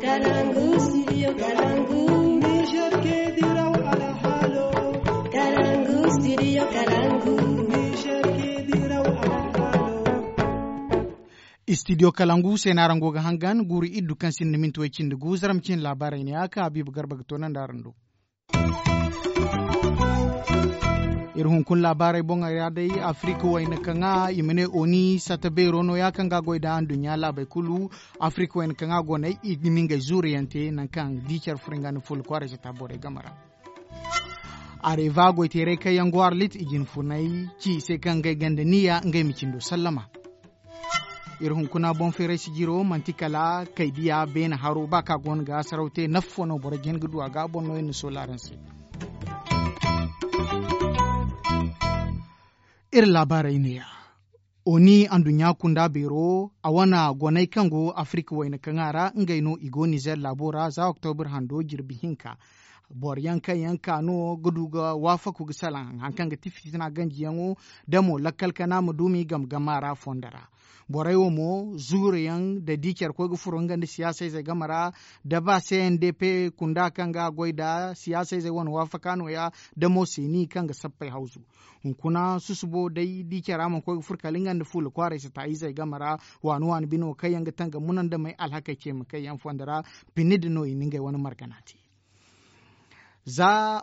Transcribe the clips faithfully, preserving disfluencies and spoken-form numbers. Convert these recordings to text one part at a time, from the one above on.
Kalangu, studio Kalangu. Niger ke diraw alhalo. Kalangu, studio Kalangu. Niger ke diraw alhalo. Studio Kalangu se no araŋ go ga hangan guuru iddu kaŋ sinda minti way cindi gu zaram cin laabaarey ne ya kaŋ Habiibu Garba ga toonandi araŋ do. Iri hunkuna laabaarey boŋey ra day, Afirik wayna kaŋa i ma ne oni sata beero no ya kaŋ ga a goy nda anduɲɲa laabey kulu. Afirik wayna kaŋa goney i ga ni ngey zuuriyaŋ te nangu kaŋ di care furo nga nda fuula kwaaray sata borey game ra. Areva goyteerey kaŋ yaŋ go arlit i jina funay ci i se kaŋ ngey gonda niya ngey ma cindo sallama. Iri hunkuna boŋ feeray sijiro manti kala kaydiya beene haro ba kaŋ a go no ga saraw te nafa fo no boro jin ga du a ga a boŋ no iri na soola araŋ se. Iri laabaarey neeya. Oni anduɲɲa kunda beero a wane goney kaŋ go afirika wayna kaŋa ra ngey no i go nizer laabo ra za oktobir hando jirbi hinka. Boro yaŋ kaŋ yaŋ ka no ga du ga waafaku ga salaŋ hari kaŋ ga ti fitina ganjiyaŋo da mo lakkal kana ma du m'i game game a ra fondo ra. Borey wo mo zuuru yaŋ da di care koy ga furo nga nda siyaasa izey game ra da ba cndp kunda kaŋ ga a goy nda siyaasa izey wane waafaka nooya da mo seeni kaŋ ga sappey hawzu. Hunkuna susubo day di care a mana koy ga furo kala nga nda fuula kwaaray sata izey game ra waani waani bino kaŋ yaŋ ga tangam munandamey alhakey ceema kaŋ yaŋ fondo ra. Pinni din no i na ngey wane margana te. Za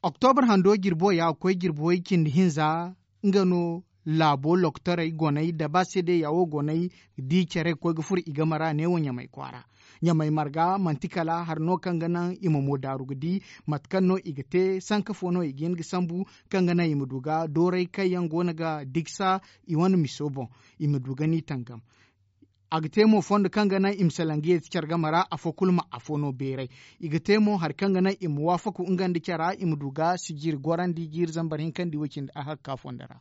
oktobar hando jirbo ya ga koy jirbo way cindi hinza nga no laabo lokotorey goney da ba seedeya wo goney di care ga koy ga furo i game ra neewo ɲamay kwaara. Ɲamay marga manti kala hari no kaŋ ga naŋ i ma mo daaru ga di mate kaŋ no i ga te sanka fo no i ga hin ga sambu kaŋ ga naŋ i ma du ga doorey kaŋ yaŋ go no ga digsa i wane miso boŋ. I ma du ga ni tangam. A ga te mo fondo kaŋ ga naŋ i ma salaŋ ga yeeti care game ra afo kulu ma afo no beeray. I ga te mo hari kaŋ ga naŋ i ma waafaku nga nda cara i ma du ga sijiri gorandi jiiri zambar hinka nda i way cindi ahakka fondo ra.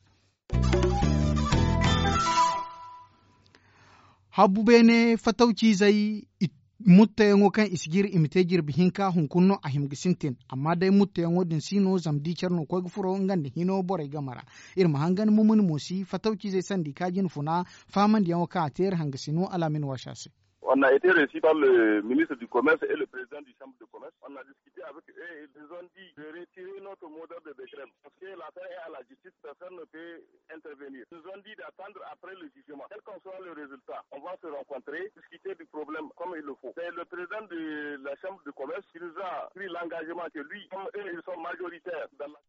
Habbu beene fatawciizey i mutteyaŋo kaŋ i si jiri i ma te jirbi hinka hunkuna no a hima ga sintin amma day mutteyaŋo din si no zama di care no koy ga furo nga nda hino borey game ra. Iri ma hangan mumuni mo si fatawciizey sanda i ka jina funa fahamandiyaŋo kaŋ a te iri hangasino alaamin waasa se. On a été reçu par le ministre du commerce et le président du chambre de commerce. On a discuté avec eux et ils nous ont dit de retirer notre modèle de décret parce que l'affaire est à la justice, personne ne peut intervenir. Ils nous ont dit d'attendre après le jugement quel qu'en soit le résultat, on va se rencontrer, discuter du problème comme il le faut. C'est le président de la chambre de commerce qui nous a pris l'engagement que lui comme eux ils sont majoritaires dans la.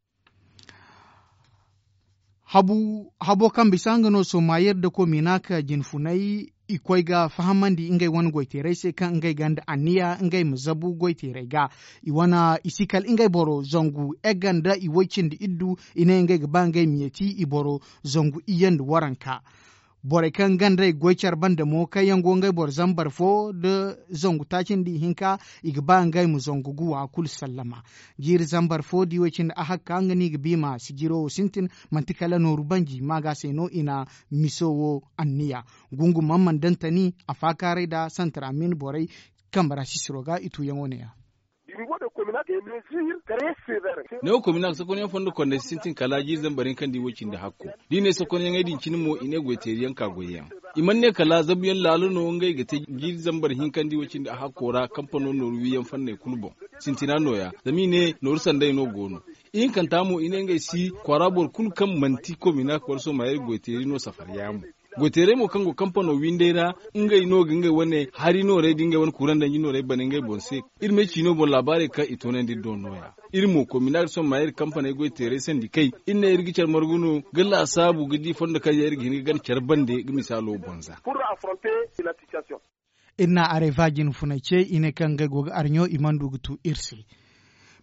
Habu habo kaŋ bisa nga no somayir da komina ka jinfunay i koy ga fahamandi ngey wane goyteerey se kaŋ ngey ganda anniya ngey ma zabu goyteerey ga. I wane i si kala ngey boro zangu egga nda i woy cindi iddu i ne ngey ga ba ngey ma yeeti i boro zangu iyye nda waranka. Borey kaŋ gandey goy care banda mo kaŋ yaŋ go ngey boro zambar fo nda zangu taaci nda ihinka i ga ba ngey ma zangu ga wa kulu sallama. Jiiri zambar fo da i way cindi ahakka nga no i ga bi ma sijiro wo sintin. Manti kala nooru banji maaga se no i na miso wo anniya. Gungu man mana dantani a faakaaray nda santar amin borey kambe ra sisiro ga i tuuyaŋo neeya. Neewo komina ga sokonyaŋ fondo kondey si sintin kala jiiri zambar hinka nda i way cindi hakko. Da i ne sokonyaŋey din cine mo i ne goyteeriyaŋ ka goyyaŋ. I mana ne kala zabuyaŋ laalo no ngey ga te jiiri zambar hinka nda i way cindi a hakko ra kampano nooru wiiyaŋ fanney kulu boŋ. Sintina nooya zama i ne nooru sanday no go no. Ihinkanta mo i ne ngey si kwaara boro kulu kaŋ manti komina wala somayir goyteeri no safar yaamo. Goyteerey mo kaŋ go kampano windey ra ngey no ga ngey wane hari noorey da ngey wane kurandanji noorey bana ngey boŋ se. Iri ma ay ciino boŋ laabaarey kaŋ i toonandi iri do nooya. Iri mo komina ga sohõ ma iri kampaney goyteerey sandi kay iri ne iri ga care margu no ga laasaabu ga di fondo kaŋ yaŋ iri ga hin ga gana care bande ga misaalo boŋ za. Iri na areva jinfuney ce i ne kaŋ ngey go ga arɲo i mana du ga tu iri se.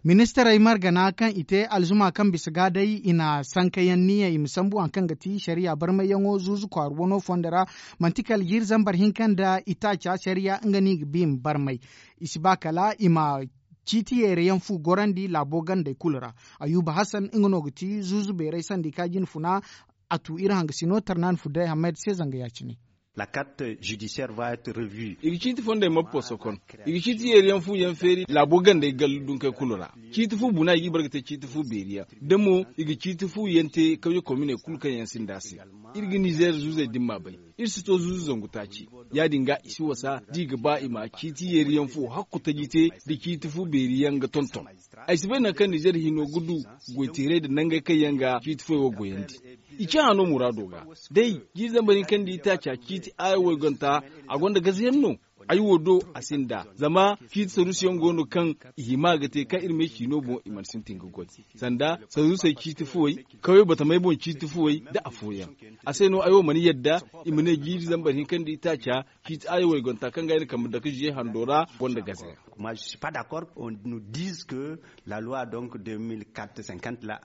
Ministirey margana kaŋ i te alzuma kaŋ bisa ga day i na sankayaŋ niya i ma sambu hari kaŋ ga ti sariya barmayyaŋo zuuzu kwaara wano fondo ra. Manti kala jiiri zambar hinka nda itaaca sariya nga no i ga ba i ma barmay. I si ba kala i ma ciiti yeerayaŋ fu gorandi laabo gandey kulu ra. Ayuba hasan nga no ga ti zuuzu beeray sanda i ka jinfuna. A tu iri hangasino tarnaani fudday hamayda se zanga ya-cine. La carte judiciaire va être revue. I ga ciiti fondey mappo sokon. I ga ciiti yeeriyaŋ fu yaŋ feeri laabo gandey gallu dunkey kulu ra. Ciiti fu buna i ga i bare ga te ciiti fu beeri yaŋ da mo i ga ciiti fu yaŋ te kawye kominey kulu kaŋ yaŋ sinda a se. Iri ga nizeer zuuzey din ma bay. Iri si to zuuzu zangu taaci. Ya- din ga i si wasa da i ga ba i ma ciiti yeeri yaŋ fo hakku taji te, da ciiti fu beeri yaŋ ga tonton. Ay si bay nangu kaŋ nizeer hino ga du goy teeray nda nangey kaŋ yaŋ ga ciiti fuwey wo goyandi. I cahã no muraado ga. Day jiiri zambar hinka nda itaaca ciiti aayo wayganta, a gonda gazayaŋ no. Ay wo do a sinda zama ciiti saruusiyaŋ go no kaŋ i hima ga te kaŋ iri ma ay ciino boŋ i mana sintin ga goy. Sanda saruusey ciiti fuwey, kawey batamey boŋ ciiti fuwey, nda afooyaŋ. A se no ay wo mana yadda i ma ne jiiri zambar hinka nda itaaca ciiti aayo wayganta kaŋ ga ay na kambe dake ziye hando ra gonda gazayaŋ. Kuma je suis pas d'accord on nous dise que la loi donc deux mille quatre cinquante la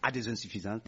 a des insuffisance.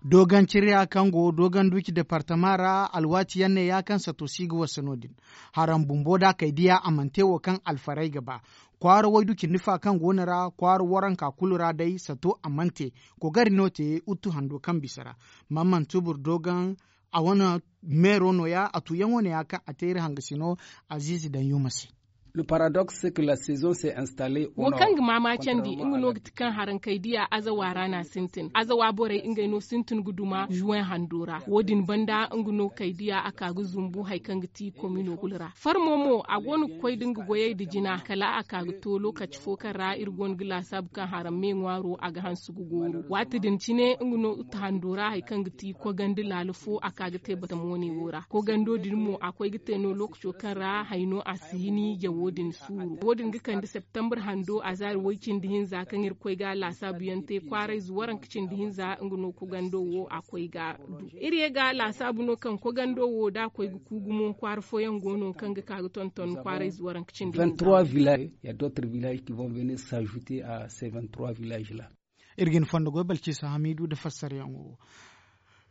Dooganciriya kaŋ go dooganduci departama ra, alwaati yaŋ ne ya kaŋ sato si ga wasa no- din. Haraŋ bumbo da kay diya a mana te wo kaŋ alfaray ga ba. Kwaara waydu cindi fa kaŋ go no ra kwaara waranka kulu ra day sato a mana te. Kogari no te uttu hando kaŋ bisa ra. Mamman tubur doogaŋ a wane meero no- ya a tuuyaŋo no- ya kaŋ a te iri hangasino aziizi daŋ yuuma se. Le paradoxe c'est que la saison s'est installée au nord. Wo kaŋ ga maama candi nga no ga ti kaŋ haraŋ kay diya azawa ra no a sintin azawa borey ngey no sintin ga duma juwen hando ra wo- din banda nga no kay diya a ka ga zumbu hari kaŋ ga ti komino kulu ra. Farmo mo a go no ga koy da nga goyey nda jina kala a ka ga to lookaci fo kaŋ ra iri go no ga laasaabu kaŋ haraŋ me ŋwaaro a ga hanse ga gooru waati din cine nga no uta hando ra hari kaŋ ga ti kogandi laala fo a ka ga te batamo ne wo ra kogando din mo a koy ga te no lookaco kaŋ ra hari no a si hini jawo din suuru wo- din ga kande septembre hando a zaari way cindi hinza kaŋ iri koy ga laasaabu yaŋ te kwaaray zuwaranka cindi hinza nga no kogando wo a koy ga du. Iri ye ga laasaabu no kaŋ kogando wo da a koy ga ku gumo kwaara fooyaŋ go no kaŋ ga ka ga tonton kwaaray zuwaranka cindi hinza. Vingt trois villages ya d'autres villages qui vont venir s'ajouter à ces vingt trois villages la. Iri ga ni fondo goy balciisa hamiidu nda fassarayaŋo wo.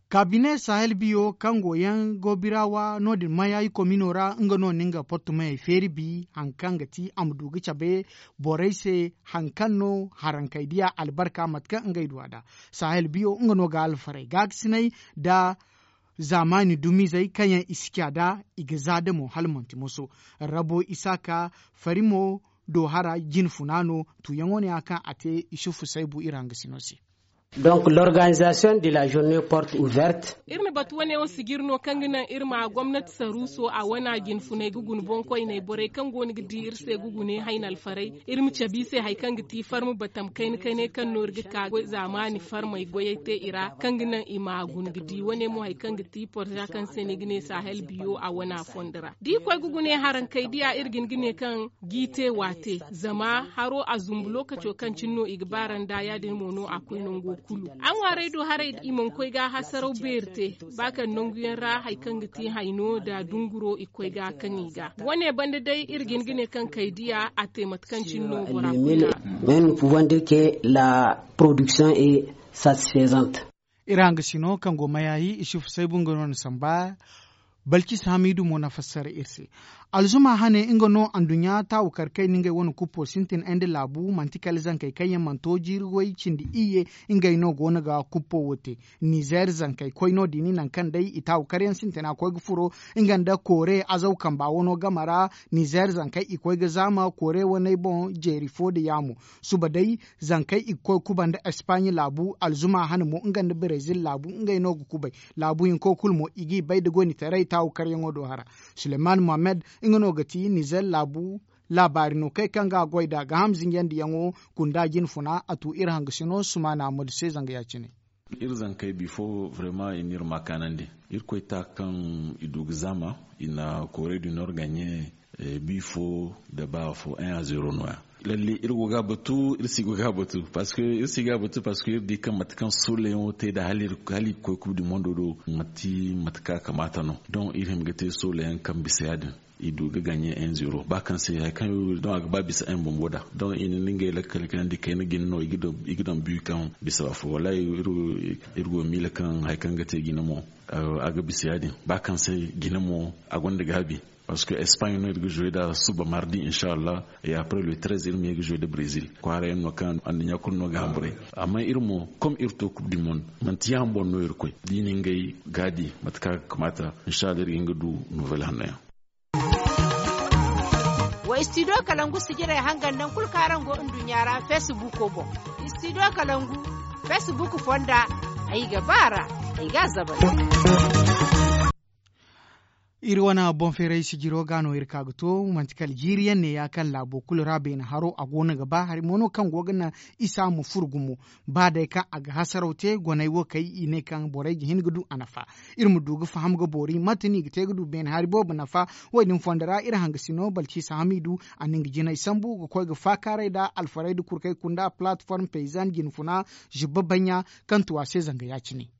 Kaabine sahel biyo kaŋ go yaŋ go biraawa no- din mayayi komino ra nga no na nga portumeyey feeri bi hari kaŋ ga ti a ma du ga cabe borey se hari kaŋ no harankey diya albarka mate kaŋ ngey du a nd'a. Sahel biyo nga no ga alfarey gaakasinay nda zaamaani dumizey kaŋ yaŋ i si ca nd'a i ga za da mo hala manti moso. Rabo isaaka farimo do hara jine funa no tuuyaŋo no ya kaŋ a te isufu saybu iri hangasino se. Donc l'organisation de la journée porte ouverte. Iri na batu wane wo sijiri no kaŋ ga naŋ iri ma gomnati saruuso a wana jinfuney ga guna boŋkoyney borey kaŋ go no ga di iri se ga gune hayna alfarey. Iri ma cabe i se hari kaŋ ga ti farma batam kayna kaynay kaŋ no iri ga ka zaamaani farmey goyey te i ra kaŋ ga naŋ i ma guna ga di wane mo hari kaŋ ga ti porza kaŋ se no i ga ne sahel biyo a wana fondo ra da i koy ga gune harankey diya iri ga hin ga ne kaŋ g'i te waate zama haro a zumbu lookaco kaŋ cine no i ga baara nd'a ya- din mo no a koy nango kulu. A ŋwaarey do haray i mana koy ga hasaraw beeri te ba kaŋ nanguyaŋ ra hari kaŋ ga ti hayno nda dunguro i koy ga kaŋ i ga wane banda day iri ga hin ga ne kaŋ kay diya a te mate kaŋ cine no bora kulu. Mais nous pouvons dire que la production est satisfaisante. Iri hangasino kaŋ go mayayi isufu saybu nga no na samba. Balkis hamidu mo na fassara iri se. Alzuma hane nga no anduɲɲa taawu karkay na ngey wane kuppo sintin ay nda laabu manti kala zankey kaŋ yaŋ mana to jiiri way cindi iyye. Ngey no go no ga kuppo wo te. Nizer zankey koy no- din nangu kaŋ day i taawu karyaŋ sintina koy ga furo nga nda koore azaw kamba wano game ra. Nizer zankey i koy ga zaama koore waney boŋ jeeri fo nda yaamo. Suba day zankey i ga koy ga kuba nda espaaɲe laabu alzuma hane mo nga nda brezil laabu ngey no ga kubay. Laabu hinko kulu mo i g'i bay nda goyni taray taawu karyaŋo do hara. Suleman mohammed nga no ga ti nizer laabu laabaari no kay kaŋ ga a goy nd'a ga ham zinjandiyaŋo kunda jinfuna a tu iri hangasino sumaana modu se zanga ya-cine. Iri zankey bifo vraiment i n'iri ma kaanandi. Irkoy ta kaŋ i du ga zaama i na koorey du nor gaɲe. Bifo nda ba fo un a zero no- ya. Lalle iri go ga batu iri si go ga batu parce que iri si ga batu parce que iri di kaŋ mate kaŋ soleyaŋo te nda hala i ga koy coupe du monde do manti mate kaŋ a kamaata no. Donc iri hima ga te soleyaŋ kaŋ bisa ya- din. I du ga gaɲe un zero ba kaŋ se hari kaŋ iri do a ga ba bisa un bumbo nd'a. Donc i na ngey lakkal kaŋ yaŋ di kayna jine no i ga daŋ bi kaŋ bisa afo wallaahi. Iri go ga miila kaŋ hari kaŋ ga te jine mo a ga bisa ya- din ba kaŋ se jine mo a gonda gaabi. Parce que espagne no iri ga jouer nd'a suba mardi inshallah. Et après le treize iri ma ye ga jouer nda brésil kwaara yaŋ no kaŋ anduɲɲa kulu no ga hamburay. Amma iri mo comme iri to coupe du monde manti ya- din boŋ no iri koy da i na ngey gaadi mate kaŋ a ga kamaata. Inshallah iri ga hin ga du nouvelle hanno yaŋ. Wa studio kalangu sijirey hangan nangu kulu kaŋ araŋ go nduɲɲa ra facebook boŋ. Studio kalangu facebook fonda. Ay ga ba a ra, ay ga a zabar. Iri wane boŋ feeray sijiro ga no iri ka ga to, manti kala jiiri yaŋ ne ya kaŋ laabo kulu ra beene haro a go no ga ba hari mo no kaŋ go ga naŋ isa ma furo gumo. Ba day kaŋ a ga hasaraw te goney wo kay i ne kaŋ borey ga hin ga du a nafa. Iri ma du ga faham ga boori mate no i ga te ga du beene hari boobo nafa. Wo- din fondo ra iri hangasino balciisa hamidu a na nga jinay sambu ga koy ga faakaaray nda alfarey nda kurkey kunda platform paysan jinfuna zubba baɲɲa kaŋ tu a se zanga ya- cine.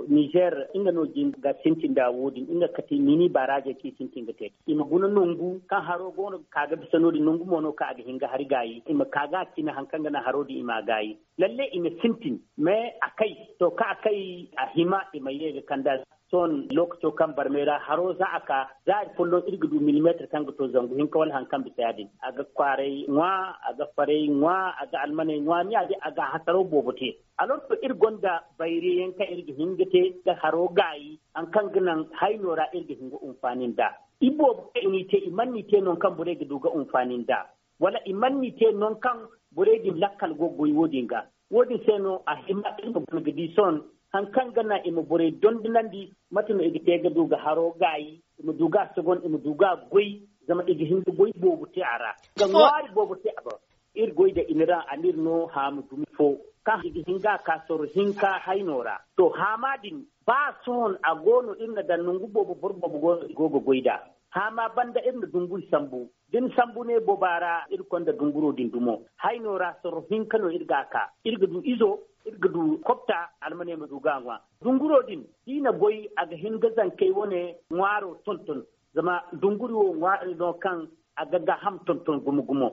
Nizer nga no jin ga sintin nda wo- din nga ga kate mini baaraazey kaŋ i sintin ga te i ma guna nangu kaŋ haro go no ga ka ga bisa no- din nangu mo no kaŋ a ga hin ga hari gaayi i ma ka ga a cine hari kaŋ ga naŋ haro din i ma a gaayi. Lalle i ma sintin mais a kay to kaŋ a kay a hima i ma ye ga kand'a. Sohõ lookaco kaŋ barmey ra haro za a ka za hari folloŋ iri ga du milimeetir kaŋ ga to zangu hinka wala hari kaŋ bisa ya- din a ga kwaaray ŋwa, a ga farey ŋwa, a ga almaney ŋwa ni ya- din a ga a hasaraw boobo te. Alor to iri gonda bayre yaŋ kaŋ iri ga hin ga te ga haro gaayi hari kaŋ ga naŋ hayno ra iri ga hin ga hunfaani nd'a. Iboobo kaŋ i n'i te i mana n'i te nangu kaŋ borey ga du ga hunfaani nd'a. Wala i mana n'i te nangu kaŋ borey din lakkal go ga goy wo- din ga. Wo- din se no a hima iri ma guna ga di sohõ hari kaŋ ga naŋ i ma borey dondonandi mate no i ga te ga du ga haro gaayi i ma du ga a sogon i ma du ga a goy. Zama i ga hin ga goy boobo te a ra ga ŋwaari boobo te a boŋ. Iri goy nda i na ra a n'iri no haamu dumi fo kaŋ i ga hin ga a ka sorro hinka hayno ra. To haama din ba sohõ a go no iri na daŋ nangu boobo boro boobo go no i go ga goy nd'a. Haama banda iri na dunguri sambu da ni sambu ne booba ra iri konda dunguro din dumo. Hayno ra sorro hinka no iri ga a ka iri ga du izo, iri ga du kobta almaney ma du ga a ŋwa. Dunguro din da i na goy a ga hin ga zankey wane ŋwaaro tonton. Zama dunguri wo ŋwaari no kaŋ a ga gaaham tonton gumo gumo.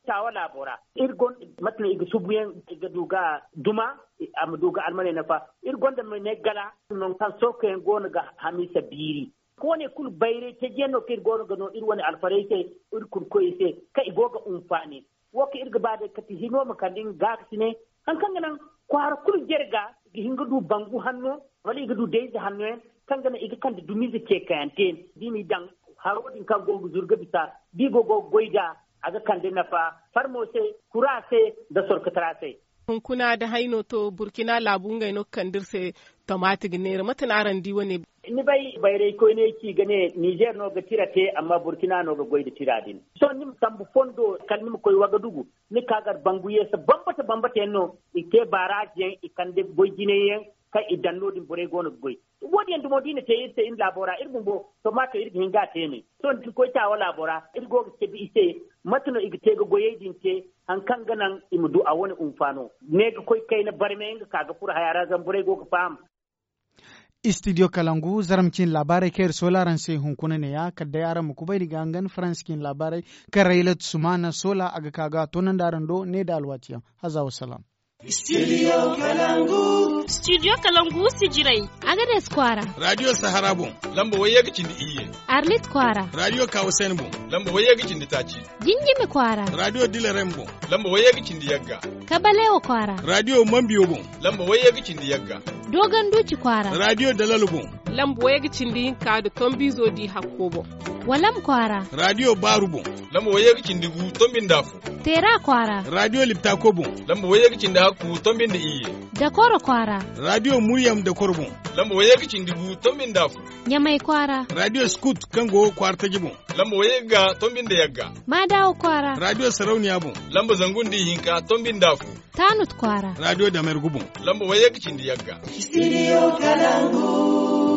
Taawa laabo ra iri gonda mate no i ga subuyaŋ i ga du ga duma a ma du ga almaney nafa. Iri gonda ma ne gala nangu kaŋ sookoyaŋ go no ga hamiisa biiri. Koone kulu bayray taji yaŋ no kaŋ iri go no ga no iri wane alfarey se, iri kurkoyey se kaŋ i go ga hunfaani. Wo kaŋ iri ga ba day kate hino ma kande nga gaakasinay hari kaŋ ga naŋ kwaara kulu jare ga i ga hin ga du bangu hanno wala i ga du dayze hanno yaŋ kaŋ ga naŋ i ga kande dumiize ceekayaŋ te. Da i n'i daŋ haro din kaŋ go ga zuru ga bisa da i go go ga goy nd'a a ga kande nafa farmo se, kura se, nda sorkotara se. Hunkuna da hayno to burkina laabu ngey no ga kande iri se. Tomate ga neera mate no araŋ di wane? Ni bay bayray koyney ci ga ne nizer no ga tira te amma burkina no ga goy nda tira din. Sohõ ni ma sambu fondo kala ni ma koy wagadugu ni ka gar bangu yeesa bambata bambata yaŋ no i te baaraazi yaŋ i kande goy jinay yaŋ kaŋ i daŋ no- din borey go no ga goy. Wo- din yaŋ dumo da i na te iri se iri laabo ra iri bumbo tomate iri ga hin ga a te ne. Sohõ da iri koy taawa laabo ra iri go ga cabe i se mate no i ga te ga goyey din te hari kaŋ ga naŋ i ma du a wane hunfaano. Ne ga koy kayna barmey nga ka ga furo haya ra zama borey go ga faham. Istidiyo kalangu zarma cine laabaarey kaŋ iri soola araŋ se hunkuna neeya kala day araŋ ma kubay ni ga hangan faransa cine laabaarey kaŋ raylat sumaana soola a ga ka ga a toonandi araŋ do ne nda alwaati yaŋ. Haza wa salaam. Studio kalangu. Studio kalangu sijirey. Agades kwaara. Radio sahara boŋ. Lamba wayye ga cindi iyye. Arlit kwaara. Radio kawasen boŋ. Lamba wayye ga cindi taaci. Jinjimi kwaara. Radio dilarem boŋ. Lamba wayye ga cindi yagga. Kabalewa kwaara. Radio mambiyo boŋ. Lamba wayye ga cindi yagga. Dogon duci kwaara. Radio dalalo boŋ. Lamba wayye ga cindi hinka nda tombizo di hakko boŋ. Walam kwaara. Radio baaru boŋ. Lamba wayye ga cindi gu tombi nda afo. Teera kwaara. Radio liptako boŋ. Lamba wayye ga cindi hakku tombi nda iyye. Dakoro kwaara. Radio muryam dakoro boŋ. Lamba wayye ga cindi gu tombi nda afo. Ɲamay kwaara. Radio scout kaŋ go kwaara taji boŋ. Lamba wayye ga tombi nda yagga. Maadawo kwaara. Radio sarauniya boŋ. Lamba zangu nda ihinka tombi nda afo. Tanut kwaara. Radio damergu boŋ. Lamba wayye ga cindi yagga. Studio kalangu.